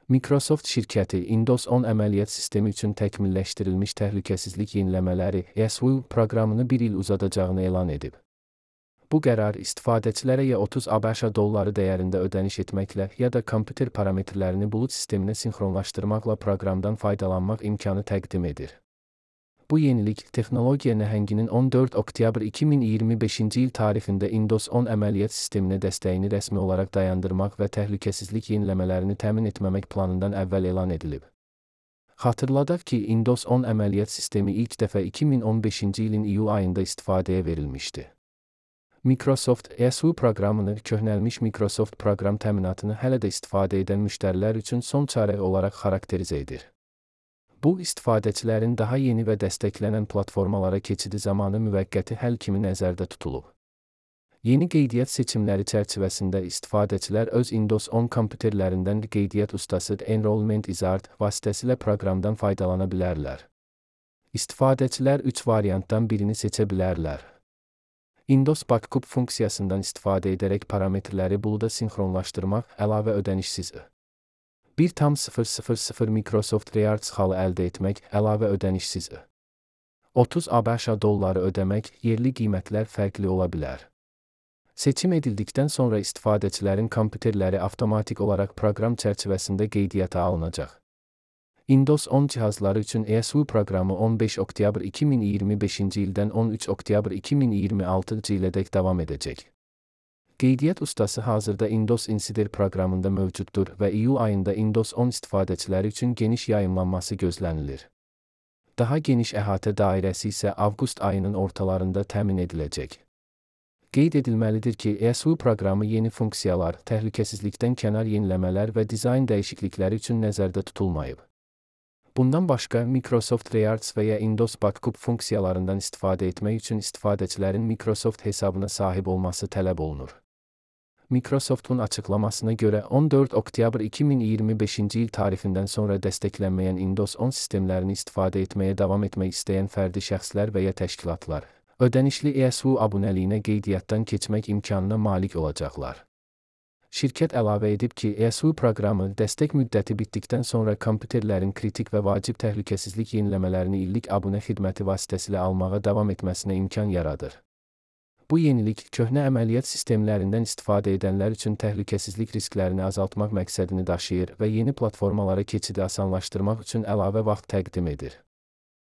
Microsoft şirkəti Windows 10 əməliyyat sistemi üçün təkmilləşdirilmiş təhlükəsizlik yeniləmələri ESW proqramını bir il uzadacağını elan edib. Bu qərar istifadəçilərə ya 30 ABŞ dolları dəyərində ödəniş etməklə ya da kompüter parametrlərini bulut sisteminə sinxronlaşdırmaqla proqramdan faydalanmaq imkanı təqdim edir. Bu yenilik, texnologiya nəhənginin 14 oktyabr 2025-ci il tarixində Windows 10 əməliyyat sisteminə dəstəyini rəsmi olaraq dayandırmaq və təhlükəsizlik yeniləmələrini təmin etməmək planından əvvəl elan edilib. Xatırladaq ki, Windows 10 əməliyyat sistemi ilk dəfə 2015-ci ilin iyul ayında istifadəyə verilmişdi. Microsoft ESW proqramını, köhnəlmiş Microsoft proqram təminatını hələ də istifadə edən müştərilər üçün son çarə olaraq xarakterizə edir. Bu, istifadəçilərin daha yeni və dəstəklənən platformalara keçidi zamanı müvəqqəti həll kimi nəzərdə tutulub. Yeni qeydiyyat seçimləri çərçivəsində istifadəçilər öz Windows 10 kompüterlərindən qeydiyyat ustası Enrollment Wizard vasitəsilə proqramdan faydalana bilərlər. İstifadəçilər 3 variantdan birini seçə bilərlər. Windows Backup funksiyasından istifadə edərək parametrləri buluda sinxronlaşdırmaq əlavə ödənişsiz. 1,000 Microsoft Rewards xalı əldə etmək əlavə ödənişsiz. 30 ABŞ dolları ödəmək, yerli qiymətlər fərqli ola bilər. Seçim edildikdən sonra istifadəçilərin kompüterləri avtomatik olaraq proqram çərçivəsində qeydiyyata alınacaq. Windows 10 cihazları üçün ESW proqramı 15 oktyabr 2025-ci ildən 13 oktyabr 2026-cı ilədək davam edəcək. Qeydiyyat ustası hazırda Windows Insider proqramında mövcuddur və iyul ayında Windows 10 istifadəçiləri üçün geniş yayımlanması gözlənilir. Daha geniş əhatə dairəsi isə avqust ayının ortalarında təmin ediləcək. Qeyd edilməlidir ki, ESW proqramı yeni funksiyalar, təhlükəsizlikdən kənar yeniləmələr və dizayn dəyişiklikləri üçün nəzərdə tutulmayıb. Bundan başqa, Microsoft Rewards və ya Windows Backup funksiyalarından istifadə etmək üçün istifadəçilərin Microsoft hesabına sahib olması tələb olunur. Microsoft'un açıqlamasına görə 14 oktyabr 2025-ci il tarixindən sonra dəstəklənməyən Windows 10 sistemlərini istifadə etməyə davam etmək istəyən fərdi şəxslər və ya təşkilatlar, ödənişli ESW abunəliyinə qeydiyyatdan keçmək imkanına malik olacaqlar. Şirkət əlavə edib ki, ESW proqramı dəstək müddəti bitdikdən sonra kompüterlərin kritik və vacib təhlükəsizlik yeniləmələrini illik abunə xidməti vasitəsilə almağa davam etməsinə imkan yaradır. Bu yenilik, köhnə əməliyyat sistemlərindən istifadə edənlər üçün təhlükəsizlik risklərini azaltmaq məqsədini daşıyır və yeni platformalara keçidi asanlaşdırmaq üçün əlavə vaxt təqdim edir.